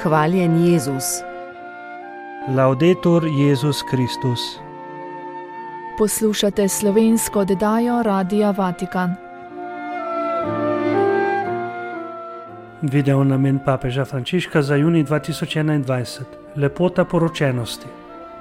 Hvaljen Jezus. Laudetur Jezus Kristus. Poslušate slovensko oddajo Radia Vatikan. Video namen papeža Frančiška za junij 2021. Lepota poročenosti.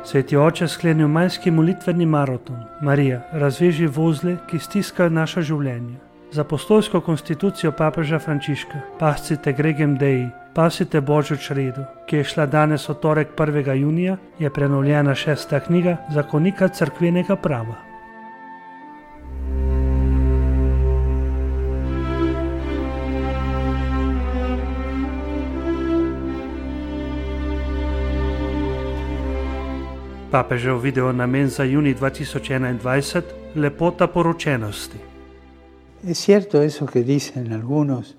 Sveti oče sklenil majski molitveni maraton. Marija, razveži vozle, ki stiskajo naša življenja. Za apostolsko konstitucijo papeža Frančiška Pascite Gregem Dei, pasite Božjo čredo, ki je šla danes v torek 1. junija, je prenovljena 6. knjiga Zakonika cerkvenega prava. Papežev video namen za junij 2021. Lepota poročenosti. Es cierto eso que dicen algunos,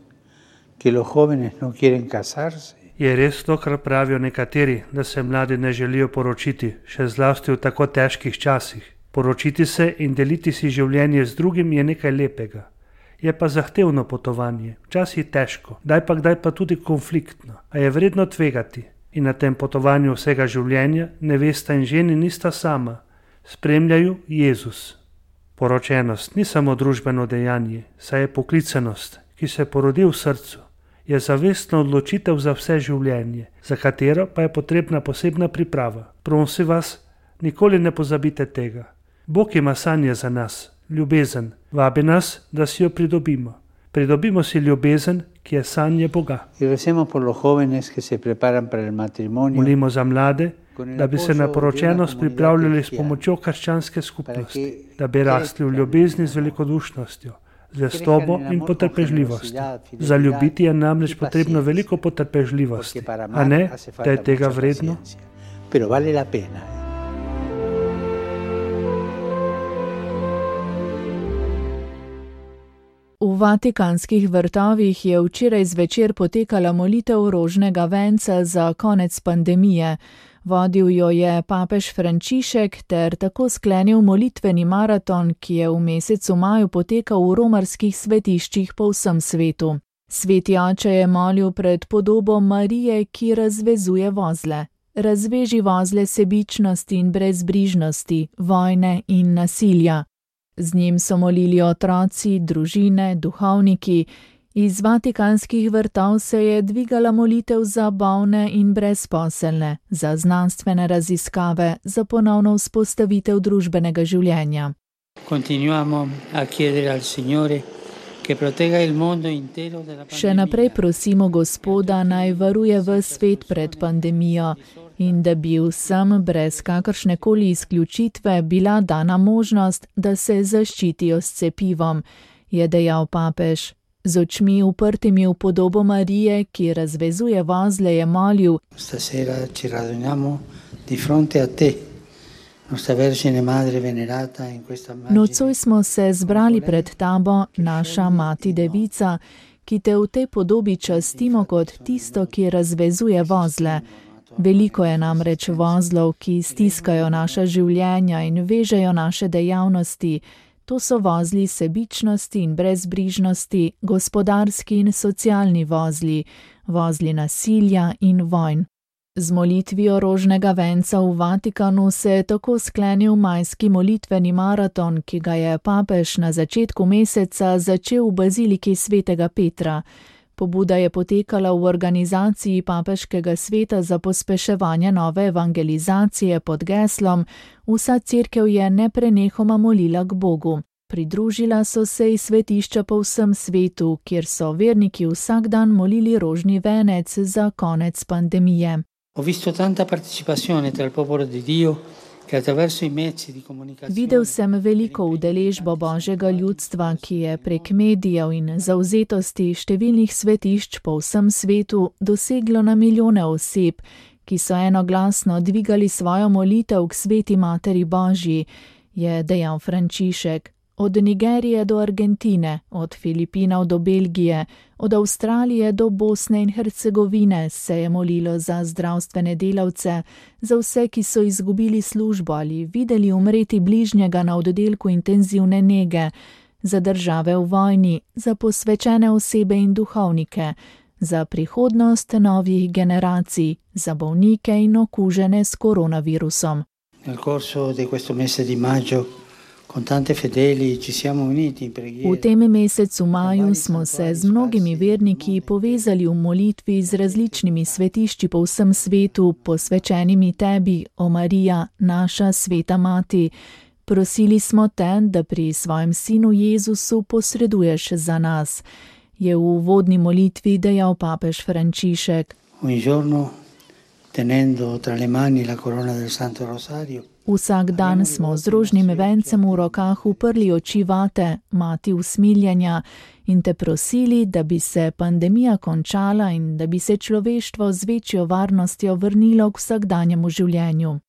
que los jóvenes no quieren casarse. Je res to, kar pravijo nekateri, da se mladi ne želijo poročiti, še zlasti v tako težkih časih. Poročiti se in deliti si življenje z drugim je nekaj lepega. Je pa zahtevno potovanje, včasih težko, kdaj pa tudi konfliktno, a je vredno tvegati. In na tem potovanju vsega življenja nevesta in ženi nista sama, spremljajo Jezus. Poročenost ni samo družbeno dejanje, saj je poklicanost, ki se porodi v srcu, je zavestna odločitev za vse življenje, za katero pa je potrebna posebna priprava. Prosim vas, nikoli ne pozabite tega. Bog ima sanje za nas, ljubezen, vabi nas, da si jo pridobimo. Pridobimo si ljubezen, ki je sanje Boga. Molimo za mlade, da bi se na poročenost pripravljali s pomočjo krščanske skupnosti, da bi rasli v ljubezni z velikodušnostjo, zvestobo in potrpežljivostjo. Za ljubiti je namreč potrebno veliko potrpežljivosti, a ne, da je tega vredno. V vatikanskih vrtovih je včeraj zvečer potekala molitev rožnega venca za konec pandemije. Vodil jo je papež Frančišek ter tako sklenil molitveni maraton, ki je v mesecu maju potekal v romarskih svetiščih po vsem svetu. Sveti oče je molil pred podobo Marije, ki razvezuje vozle. Razveži vozle sebičnosti in brezbrižnosti, vojne in nasilja. Z njim so molili otroci, družine, duhovniki. Iz vatikanskih vrtov se je dvigala molitev za bolne in brezposelne, za znanstvene raziskave, za ponovno vzpostavitev družbenega življenja. Še naprej prosimo Gospoda, naj varuje ves svet pred pandemijo in da bi vsem brez kakršnekoli izključitve bila dana možnost, da se zaščitijo s cepivom, je dejal papež. Z očmi uprtimi v podobo Marije, ki razvezuje vozle, je molil: Nocoj smo se zbrali pred tabo, naša mati devica, ki te v tej podobi častimo kot tisto, ki razvezuje vozle. Veliko je namreč vozlov, ki stiskajo naša življenja in vežejo naše dejavnosti. To so vozli sebičnosti in brezbrižnosti, gospodarski in socialni vozli, vozli nasilja in vojn. Z molitvijo rožnega venca v Vatikanu se je tako sklenil majski molitveni maraton, ki ga je papež na začetku meseca začel v baziliki svetega Petra. Pobuda je potekala v organizaciji Papeškega sveta za pospeševanje nove evangelizacije pod geslom Vsa cerkev je neprenehoma molila k Bogu. Pridružila so se iz svetišča po vsem svetu, kjer so verniki vsak dan molili rožni venec za konec pandemije. Videl sem veliko udeležbo Božjega ljudstva, ki je prek medijev in zavzetosti številnih svetišč po vsem svetu doseglo na milijone oseb, ki so enoglasno dvigali svojo molitev k sveti Materi Božji, je dejal Frančišek. Od Nigerije do Argentine, od Filipinov do Belgije, od Avstralije do Bosne in Hercegovine se je molilo za zdravstvene delavce, za vse, ki so izgubili službo ali videli umreti bližnjega na oddelku intenzivne nege, za države v vojni, za posvečene osebe in duhovnike, za prihodnost novih generacij, za bolnike in okužene s koronavirusom. Nel corso di questo mese di maggio con tante fedeli ci siamo uniti in preghiera. V tem mesecu maju smo se z mnogimi verniki povezali v molitvi z različnimi svetišči po vsem svetu, posvečenimi tebi, o Marija, naša sveta mati. Prosili smo te, da pri svojem sinu Jezusu posreduješ za nas, je v uvodni molitvi dejal papež Frančišek. Un giorno, tenendo tra le mani la corona del Santo Rosario, Vsak dan smo z rožnim vencem v rokah uprli oči vate, mati usmiljenja, in te prosili, da bi se pandemija končala in da bi se človeštvo z večjo varnostjo vrnilo k vsakdanjemu življenju.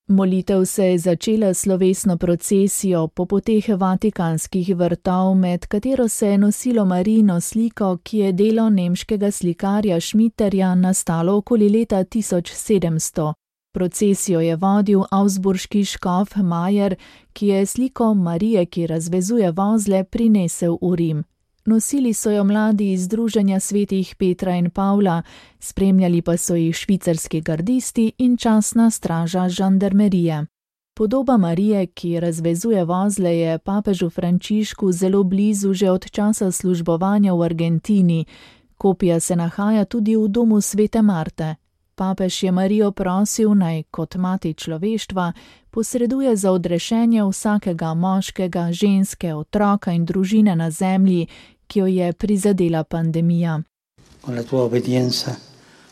Molitev se je začela slovesno procesijo po poteh vatikanskih vrtov, med katero se je nosilo Marijino sliko, ki je delo nemškega slikarja Schmitterja nastalo okoli leta 1700. Procesijo je vodil augsburški škof Majer, ki je sliko Marije, ki razvezuje vozle, prinesel v Rim. Nosili so jo mladi iz Združenja svetih Petra in Pavla, spremljali pa so jih švicarski gardisti in častna straža žandarmerije. Podoba Marije, ki razvezuje vozle, je papežu Frančišku zelo blizu že od časa službovanja v Argentini. Kopija se nahaja tudi v domu svete Marte. Papež je Marijo prosil, naj kot mati človeštva posreduje za odrešenje vsakega moškega, ženske, otroka in družine na zemlji, ki jo je prizadela pandemija. con la tua obbedienza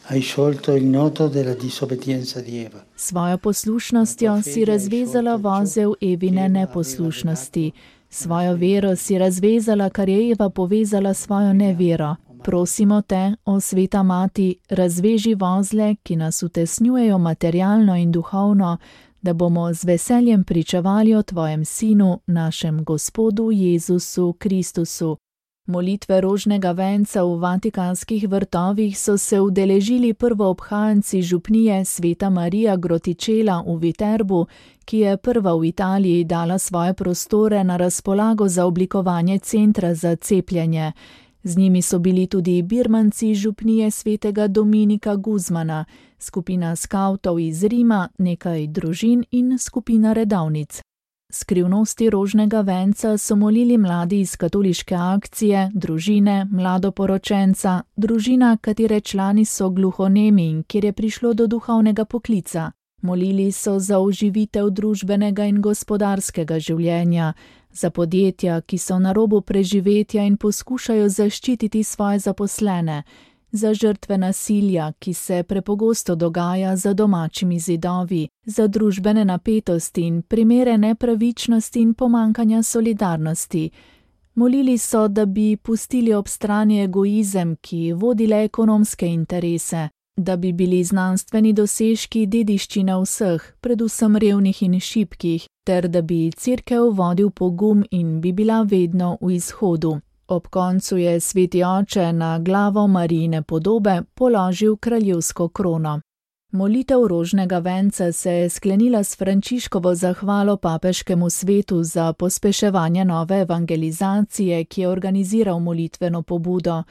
hai sciolto il nodo della disobbedienza di Eva. Svojo poslušnostjo si razvezala vozel Evine neposlušnosti. Svojo vero si razvezala, kar je Eva povezala svojo nevero. Prosimo te, o sveta mati, razveži vozle, ki nas utesnjujejo materialno in duhovno, da bomo z veseljem pričevali o tvojem sinu, našem Gospodu Jezusu Kristusu. Molitve rožnega venca v vatikanskih vrtovih so se udeležili prvoobhajanci župnije Sveta Marija Grotičela v Viterbu, ki je prva v Italiji dala svoje prostore na razpolago za oblikovanje centra za cepljenje. Z njimi so bili tudi birmanci župnije svetega Dominika Guzmana, skupina skavtov iz Rima, nekaj družin in skupina redovnic. Skrivnosti rožnega venca so molili mladi iz katoliške akcije, družine, mladoporočenca, družina, katere člani so gluhonemi in kjer je prišlo do duhovnega poklica. Molili so za oživitev družbenega in gospodarskega življenja, za podjetja, ki so na robu preživetja in poskušajo zaščititi svoje zaposlene, za žrtve nasilja, ki se prepogosto dogaja za domačimi zidovi, za družbene napetosti in primere nepravičnosti in pomankanja solidarnosti. Molili so, da bi pustili ob strani egoizem, ki vodi le ekonomske interese, da bi bili znanstveni dosežki dediščina vseh, predvsem revnih in šibkih, ter da bi Cerkev vodil pogum in bi bila vedno v izhodu. Ob koncu je sveti oče na glavo Marijine podobe položil kraljevsko krono. Molitev rožnega venca se je sklenila s Frančiškovo zahvalo papeškemu svetu za pospeševanje nove evangelizacije, ki je organiziral molitveno pobudo.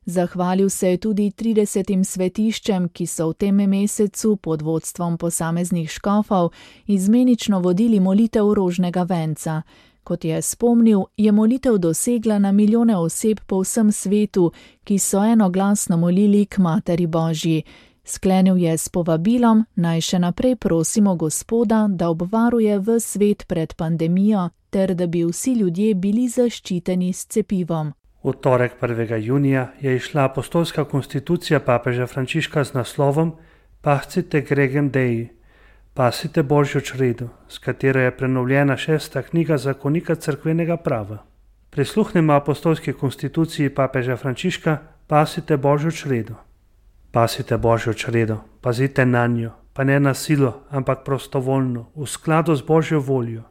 Zahvalil se je tudi 30 svetiščem, ki so v tem mesecu pod vodstvom posameznih škofov izmenično vodili molitev rožnega venca. Kot je spomnil, je molitev dosegla na milijone oseb po vsem svetu, ki so enoglasno molili k Materi Božji. Sklenil je s povabilom, naj še naprej prosimo Gospoda, da obvaruje ves svet pred pandemijo, ter da bi vsi ljudje bili zaščiteni s cepivom. V torek 1. junija je izšla apostolska konstitucija papeža Frančiška z naslovom Pascite gregem Dei, pasite Božjo čredo, s katero je prenovljena 6. knjiga zakonika cerkvenega prava. Prisluhnemo apostolski konstituciji papeža Frančiška Pasite Božjo čredo. Pasite Božjo čredo, pazite nanjo, pa ne na silo, ampak prostovoljno, v skladu z Božjo voljo.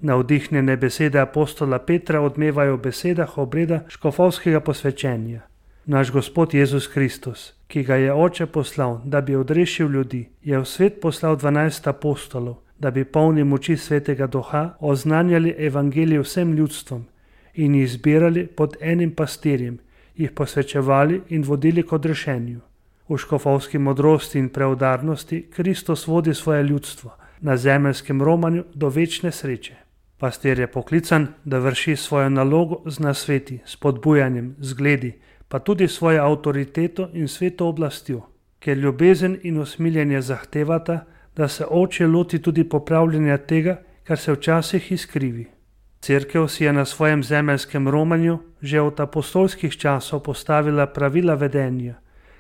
Navdihnjene besede apostola Petra odmevajo v besedah obreda škofovskega posvečenja. Naš Gospod Jezus Kristus, ki ga je Oče poslal, da bi odrešil ljudi, je v svet poslal 12 apostolov, da bi polni moči Svetega Duha oznanjali evangelij vsem ljudstvom in jih zbirali pod enim pastirjem, jih posvečevali in vodili k odrešenju. V škofovski modrosti in preudarnosti Kristus vodi svoje ljudstvo na zemeljskem romanju do večne sreče. Pastir je poklican, da vrši svojo nalogo z nasveti, spodbujanjem, zgledi, pa tudi svojo avtoriteto in sveto oblastjo, ker ljubezen in usmiljenje zahtevata, da se oče loti tudi popravljanja tega, kar se včasih izkrivi. Cerkev si je na svojem zemeljskem romanju že od apostolskih časov postavila pravila vedenja,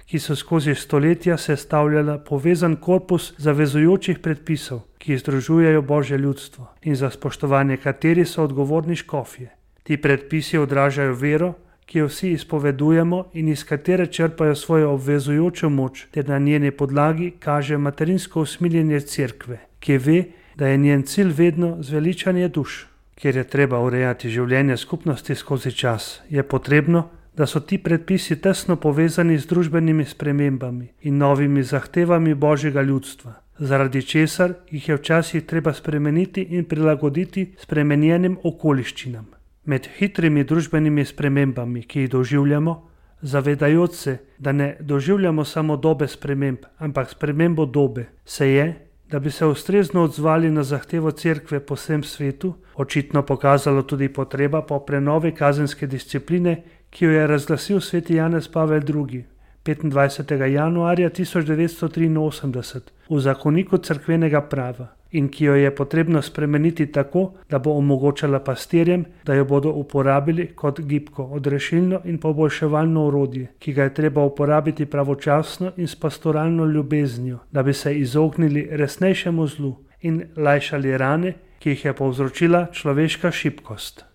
ki so skozi stoletja sestavljala povezan korpus zavezujočih predpisov, ki združujejo Božje ljudstvo in za spoštovanje kateri so odgovorni škofje. Ti predpisi odražajo vero, ki jo vsi izpovedujemo in iz katere črpajo svojo obvezujočo moč, ter na njeni podlagi kaže materinsko usmiljenje cerkve, ki ve, da je njen cilj vedno zveličanje duš. Ker je treba urejati življenje skupnosti skozi čas, je potrebno, da so ti predpisi tesno povezani z družbenimi spremembami in novimi zahtevami Božjega ljudstva, zaradi česar jih je včasih treba spremeniti in prilagoditi spremenjenim okoliščinam. Med hitrimi družbenimi spremembami, ki jih doživljamo, zavedajoč se, da ne doživljamo samo dobe sprememb, ampak spremembo dobe, se je, da bi se ustrezno odzvali na zahtevo cerkve po vsem svetu, očitno pokazalo tudi potreba po prenovi kazenske discipline, ki jo je razglasil sveti Janez Pavel II. 25. januarja 1983 v zakoniku cerkvenega prava in ki jo je potrebno spremeniti tako, da bo omogočala pastirjem, da jo bodo uporabili kot gibko, odrešilno in poboljševalno orodje, ki ga je treba uporabiti pravočasno in s pastoralno ljubeznijo, da bi se izognili resnejšemu zlu in lajšali rane, ki jih je povzročila človeška šibkost.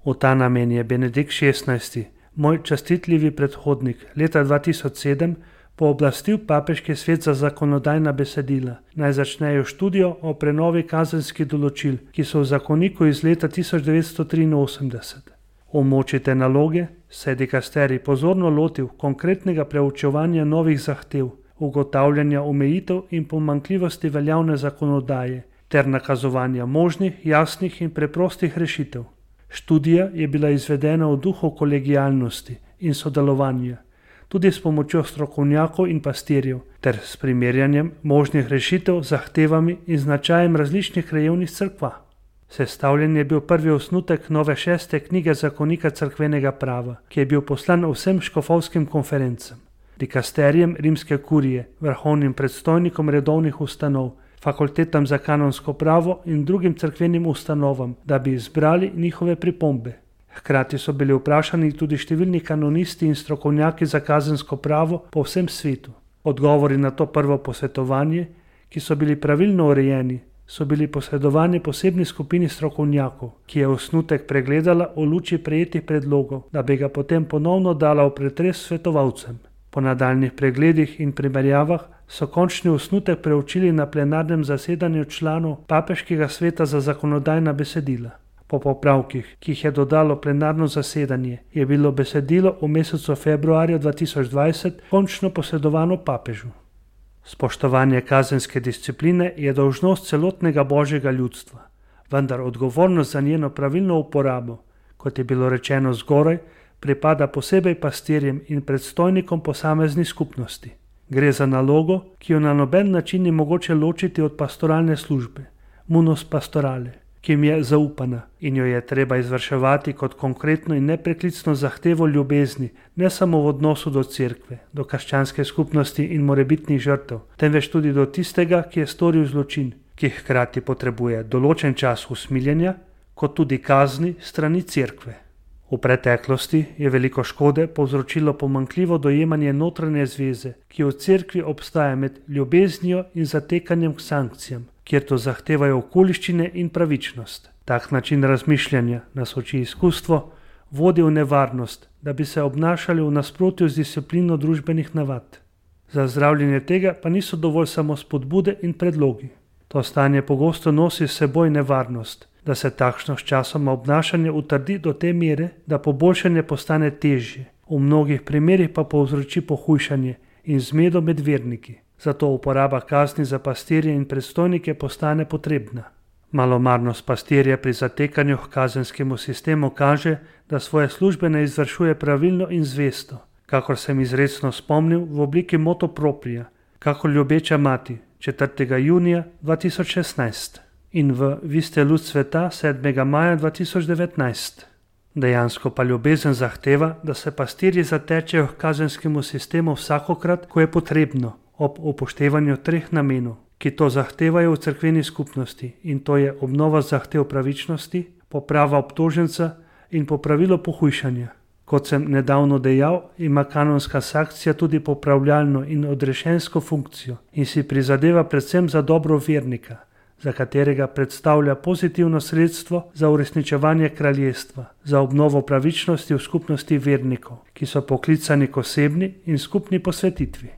V ta namen je Benedikt XVI, moj častitljivi predhodnik, leta 2007 pooblastil papeški svet za zakonodajna besedila, naj začnejo študijo o prenovi kazenskih določil, ki so v zakoniku iz leta 1983. V moči te naloge se je dikasterij pozorno lotil konkretnega preučevanja novih zahtev, ugotavljanja omejitev in pomanjkljivosti veljavne zakonodaje ter nakazovanja možnih, jasnih in preprostih rešitev. Študija je bila izvedena v duhu kolegialnosti in sodelovanja, tudi s pomočjo strokovnjakov in pastirjev, ter s primerjanjem možnih rešitev z zahtevami in značajem različnih krajevnih cerkva. Sestavljen je bil prvi osnutek nove 6. knjige zakonika cerkvenega prava, ki je bil poslan vsem škofovskim konferencam, dikasterijem rimske kurije, vrhovnim predstojnikom redovnih ustanov, fakultetam za kanonsko pravo in drugim cerkvenim ustanovam, da bi izbrali njihove pripombe. Hkrati so bili vprašani tudi številni kanonisti in strokovnjaki za kazensko pravo po vsem svetu. Odgovori na to prvo posvetovanje, ki so bili pravilno urejeni, so bili posredovani posebni skupini strokovnjakov, ki je osnutek pregledala v luči prejetih predlogov, da bi ga potem ponovno dala v pretres svetovalcem. Po nadaljnih pregledih in primerjavah so končni osnutek preučili na plenarnem zasedanju članov papeškega sveta za zakonodajna besedila. Po popravkih, ki jih je dodalo plenarno zasedanje, je bilo besedilo v mesecu februarju 2020 končno posredovano papežu. Spoštovanje kazenske discipline je dolžnost celotnega Božjega ljudstva, vendar odgovornost za njeno pravilno uporabo, kot je bilo rečeno zgoraj, pripada posebej pastirjem in predstojnikom posameznih skupnosti. Gre za nalogo, ki jo na noben način ni mogoče ločiti od pastoralne službe, munus pastorale, ki jim je zaupana in jo je treba izvrševati kot konkretno in nepreklicno zahtevo ljubezni, ne samo v odnosu do cerkve, do krščanske skupnosti in morebitnih žrtev, temveč tudi do tistega, ki je storil zločin, ki hkrati potrebuje določen čas usmiljenja, kot tudi kazni strani cerkve. V preteklosti je veliko škode povzročilo pomanjkljivo dojemanje notranje zveze, ki v cerkvi obstaja med ljubeznijo in zatekanjem k sankcijam, kjer to zahtevajo okoliščine in pravičnost. Tak način razmišljanja, nas uči izkustvo, vodi v nevarnost, da bi se obnašali v nasprotju z disciplino družbenih navad. Za zdravljenje tega pa niso dovolj samo spodbude in predlogi. To stanje pogosto nosi s seboj nevarnost, da se takšno sčasoma obnašanje utrdi do te mere, da poboljšanje postane težje, v mnogih primerih pa povzroči pohujšanje in zmedo med verniki. Zato uporaba kazni za pastirje in predstojnike postane potrebna. Malomarnost pastirja pri zatekanju k kazenskemu sistemu kaže, da svoje službe ne izvršuje pravilno in zvesto, kakor sem izrecno spomnil v obliki motu propria, kakor ljubeča mati 4. junija 2016 in v Vi ste luč sveta 7. maja 2019. Dejansko pa ljubezen zahteva, da se pastirji zatečejo k kazenskemu sistemu vsakokrat, ko je potrebno, ob upoštevanju 3 namenov, ki to zahtevajo v cerkveni skupnosti, in to je obnova zahtev pravičnosti, poprava obtoženca in popravilo pohujšanja. Kot sem nedavno dejal, ima kanonska sankcija tudi popravljalno in odrešensko funkcijo in si prizadeva predvsem za dobro vernika, za katerega predstavlja pozitivno sredstvo za uresničevanje kraljestva, za obnovo pravičnosti v skupnosti vernikov, ki so poklicani k osebni in skupni posvetitvi.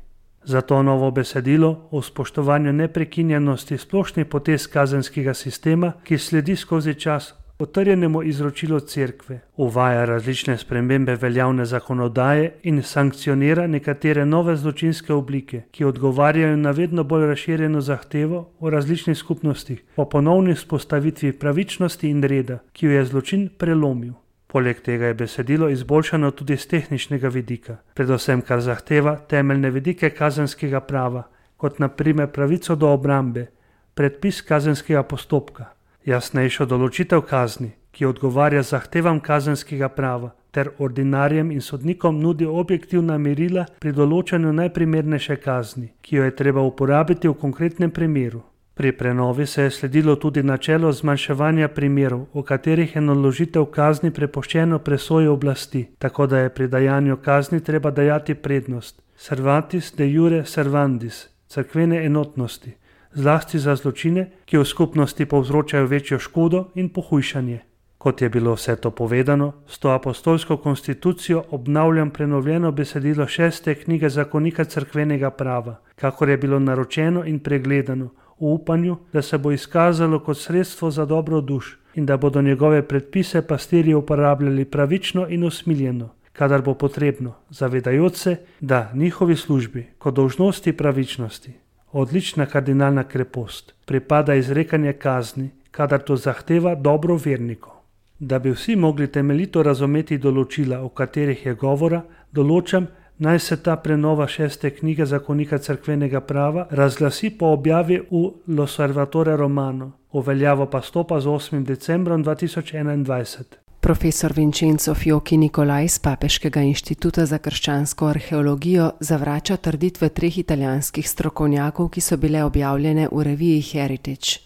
Zato novo besedilo o spoštovanju neprekinjenosti splošnih potez kazenskega sistema, ki sledi skozi čas potrjenemu izročilu cerkve, uvaja različne spremembe veljavne zakonodaje in sankcionira nekatere nove zločinske oblike, ki odgovarjajo na vedno bolj razširjeno zahtevo v različnih skupnostih po ponovni vzpostavitvi pravičnosti in reda, ki jo je zločin prelomil. Poleg tega je besedilo izboljšano tudi z tehničnega vidika, predvsem kar zahteva temeljne vidike kazenskega prava, kot na primer pravico do obrambe, predpis kazenskega postopka, jasnejšo določitev kazni, ki odgovarja zahtevam kazenskega prava, ter ordinarjem in sodnikom nudi objektivna merila pri določanju najprimernejše kazni, ki jo je treba uporabiti v konkretnem primeru. Pri prenovi se je sledilo tudi načelo zmanjševanja primerov, v katerih je naložitev kazni prepuščeno presoji oblasti, tako da je pri dajanju kazni treba dajati prednost servatis de iure servandis, cerkvene enotnosti, zlasti za zločine, ki v skupnosti povzročajo večjo škodo in pohujšanje. Kot je bilo vse to povedano, s to apostolsko konstitucijo obnavljam prenovljeno besedilo 6. knjige zakonika cerkvenega prava, kakor je bilo naročeno in pregledano, v upanju, da se bo izkazalo kot sredstvo za dobro duš in da bodo njegove predpise pastirji uporabljali pravično in usmiljeno, kadar bo potrebno, zavedajoč se, da njihovi službi kot dolžnosti pravičnosti, odlična kardinalna krepost, pripada izrekanje kazni, kadar to zahteva dobro vernikov. Da bi vsi mogli temeljito razumeti določila, o katerih je govora, določam, naj se ta prenova 6. knjige zakonika cerkvenega prava razglasi po objavi v L'Osservatore Romano, v veljavo pa stopa z 8. decembrom 2021. Profesor Vincenzo Fiocchi Nicolai z Papeškega inštituta za krščansko arheologijo zavrača trditve 3 italijanskih strokovnjakov, ki so bile objavljene v reviji Heritage.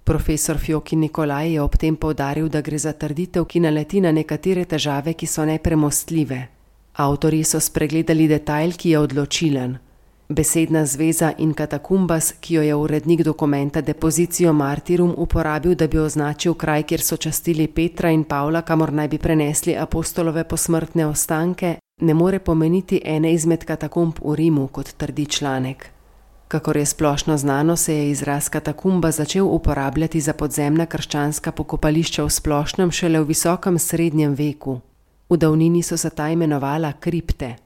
Profesor Fiocchi Nicolai je ob tem poudaril, da gre za trditev, ki naleti na nekatere težave, ki so nepremostljive. Avtorji so spregledali detajl, ki je odločilen. Besedna zveza in katakumbas, ki jo je urednik dokumenta Depositio Martyrum uporabil, da bi označil kraj, kjer so častili Petra in Pavla, kamor naj bi prenesli apostolove posmrtne ostanke, ne more pomeniti ene izmed katakumb v Rimu, kot trdi članek. Kakor je splošno znano, se je izraz katakumba začel uporabljati za podzemna krščanska pokopališča v splošnem šele v visokem srednjem veku. V davnini so se ta imenovala kripte.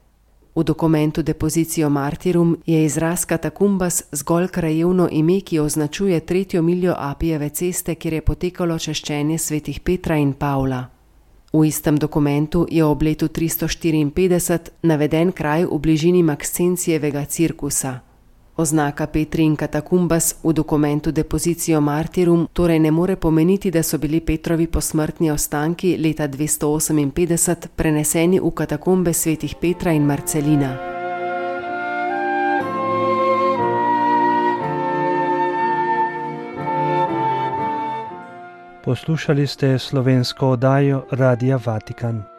V dokumentu Depositio Martyrum je izraz katakumbas zgolj krajevno ime, ki označuje 3. miljo Apijeve ceste, kjer je potekalo češčenje svetih Petra in Pavla. V istem dokumentu je ob letu 354 naveden kraj v bližini Maxencijevega cirkusa. Oznaka Petri in katakumbas v dokumentu Depositio Martyrum torej ne more pomeniti, da so bili Petrovi posmrtni ostanki leta 258 preneseni v katakombe svetih Petra in Marcelina. Poslušali ste slovensko oddajo Radia Vatikan.